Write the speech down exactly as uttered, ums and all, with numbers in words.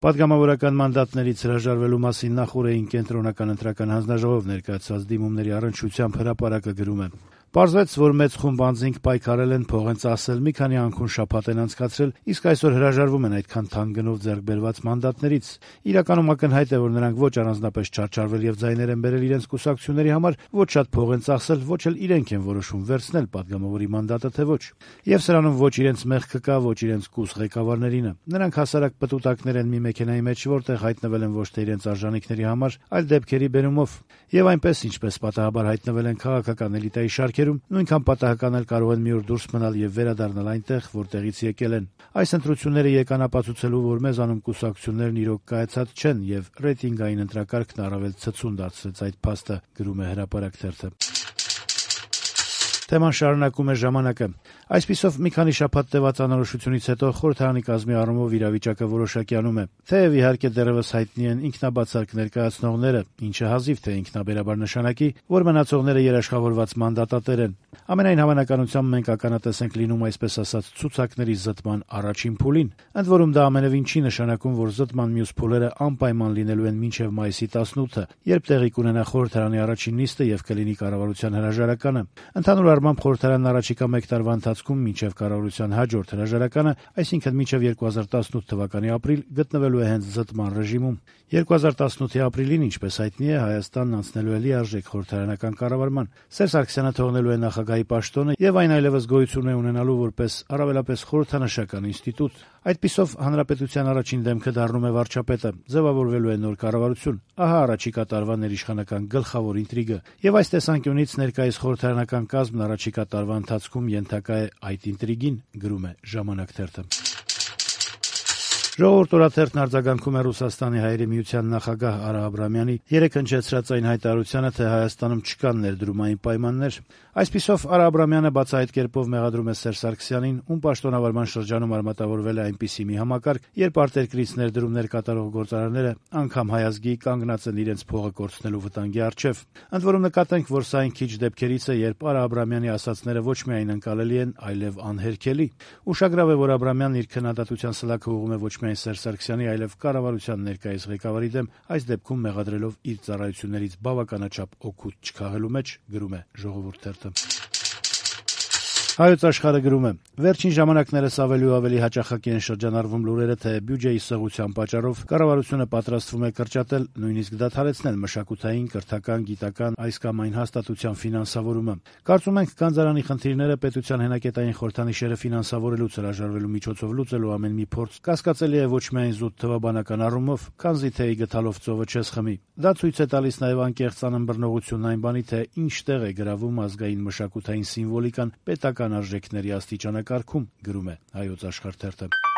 Պատգամավորական մանդատներից հրաժարվելու մասին նախ օրերին կենտրոնական ընտրական հանձնաժողով ներկայացված դիմումների առնչությամբ հրապարակը գրում է. «Պարզվեց, որ մեծ խումբ անձինք պայքարել են, փող են ծախսել, մի քանի անքուն շաբաթ են անցկացրել, իսկ այսօր հրաժարվում են այդքան թանկ գնով ձեռք բերված մանդատներից։ Իրականում ակնհայտ է, որ նրանք ոչ առանձնապես չարչարվել եւ ձայներ են բերել իրենց կուսակցությունների համար, ոչ շատ փող են ծախսել, ոչ էլ իրենք են որոշում վերցնել պատգամավորի մանդատը թե ոչ։ Եվ սրանում ոչ իրենց մեղքը կա, ոչ իրենց կուս ղեկավարներինը։ Նրանք հասարակ պտուտակներ են մի մեքենայի մեջ, որտեղ հայտնվել են ոչ թե իրենց արժանինքների համար, այլ դեպքերի բերումով։ Եվ այնպես, ինչպես պատահաբար հայտնվել են քաղաքական էլիտայի շարքերում, նույնքան պատահական էլ կարող են մի օր դուրս մնալ եւ վերադառնալ այնտեղ, որտեղից եկել են։ Այս ընտրությունները եկան ապացուցելու, որ մեզանում կուսակցություններն իրոք կայացած չեն եւ ռեյտինգային ընտրակարգն առավել ցցուն դարձրեց այդ փաստը», գրում է Հրապարակ թերթը։ Թեման շարունակում է «Ժամանակը»։ Այսպիսով, մի քանի շաբաթ տևած անորոշությունից հետո խորհրդարանի կազմի առումով իրավիճակը որոշակյանում է։ Թեև իհարկե դեռևս հայտնի են ինքնաբացարկ ներկայացնողները, ինչը հազիվ թե ինքնաբերաբար նշանակի, որ մնացողները երաշխավորված մանդատատեր են։ Ամենայն հավանականությամբ մենք ականատես ենք լինում այսպես ասած ցուցակների զտման առաջին փուլին։ Ընդ որում դա ամենևին չի նշանակում, որ զտման մյուս փուլերը անպայման լինելու են մինչև մայիսի տասնութը, երբ տեղի կունենա խորհրդարանի առաջին նիստը եւ կլինի կառավարության հրաժարականը։ Ընդհանուր առմամբ խորհրդարանն առաջիկա մեկ տարվա ընթացքում մինչև կառավարության հաջորդ հրաժարականը, այսինքն մինչև երկու հազար տասնութ թվականի ապրիլ, գտնվելու է հենց զտման ռեժիմում։ երկու հազար տասնութի ապրիլին, ինչպես հայտնի է, Հայաստանն անցնելու է լիարժեք խորհրդարանական կառավարման։ Սերժ Սարգսյանը թողնելու է նախագահի պաշտոնը եւ այն այլեւս գոյություն է ունենալու որպես առավելապես խորհրդանշական ինստիտուտ։ Այդպիսով հանրապետության առաջին դեմքը դառնում է վարչապետը, ձևավորվելու է նոր կառավարություն։ Ահա առաջիկա տարվա ներիշխանական գլխավոր ինտրիգը։ Եվ այս տեսանկյունից ներկայիս խորհրդարանական կազմն առաջիկա տարվա ընթացքում ենթակա է այդ ինտրիգին, գրում է «Ժամանակ» թերթը։ Ժողովուրդ օրաթերթն արձագանքում է Ռուսաստանի Հայերի միության նախագահ Արա Աբրամյանի երեկ հնչեցրած այն հայտարարությանը, թե Հայաստանում չկան ներդրումային պայմաններ։ Այսպիսով Արա Աբրամյանը բացահայտ կերպով մեղադրում է Սերժ Սարգսյանին, ում պաշտոնավարման շրջանում արմատավորվել է այնպիսի մի համակարգ, երբ արտերկրից ներդրումներ կատարող գործարանները անգամ հայազգի կանգնած են իրենց փողը կորցնելու վտանգի առջև։ Ընդ որում նկատենք, որ սա այն քիչ դեպքերից է, երբ Արա Աբրամյանի ասածները ոչ միայն ընկալելի են, այլև անհերքելի։ Ուշագրավ է, որ Աբրամյանն իր քննադատության սլաքը ուղղում է ոչ միայն Սերժ Սարգսյանի, այլև կառավարության ներկայիս ղեկավարի դեմ, այս դեպքում մեղադրելով իր ծառայություններից բավականաչափ օգուտ չքաղելու մեջ, գրում է Ժողովուրդ թերթը։ Հայոց Աշխարհը գրում է. «Վերջին ժամանակներս ավելի ու ավելի հաճախակի են շրջանառվում լուրերը, թե բյուջեի սղության պատճառով կառավարությունը պատրաստվում է կրճատել, նույնիսկ դադարեցնել մշակութային, կրթական, գիտական այս կամ այն հաստատության ֆինանսավորումը։ Կարծում ենք, գանձարանի խնդիրները պետության հենակետային խորհրդանիշերը ֆինանսավորելուց հրաժարվելու միջոցով լուծելու ամեն մի փորձ կասկածելի է ոչ միայն զուտ թվաբանական առումով, քանզի թեյի գդալով ծովը չես խմի։ Դա ցույց է տալիս նաև անկեղծ անըմբռնողությունն այն բանի, թե ինչ տեղ է գրավում ազգային մշակութային սիմվոլիկան պետական արժեքների աստիճանակարգում», գրում է Հայոց Աշխարհ թերթը։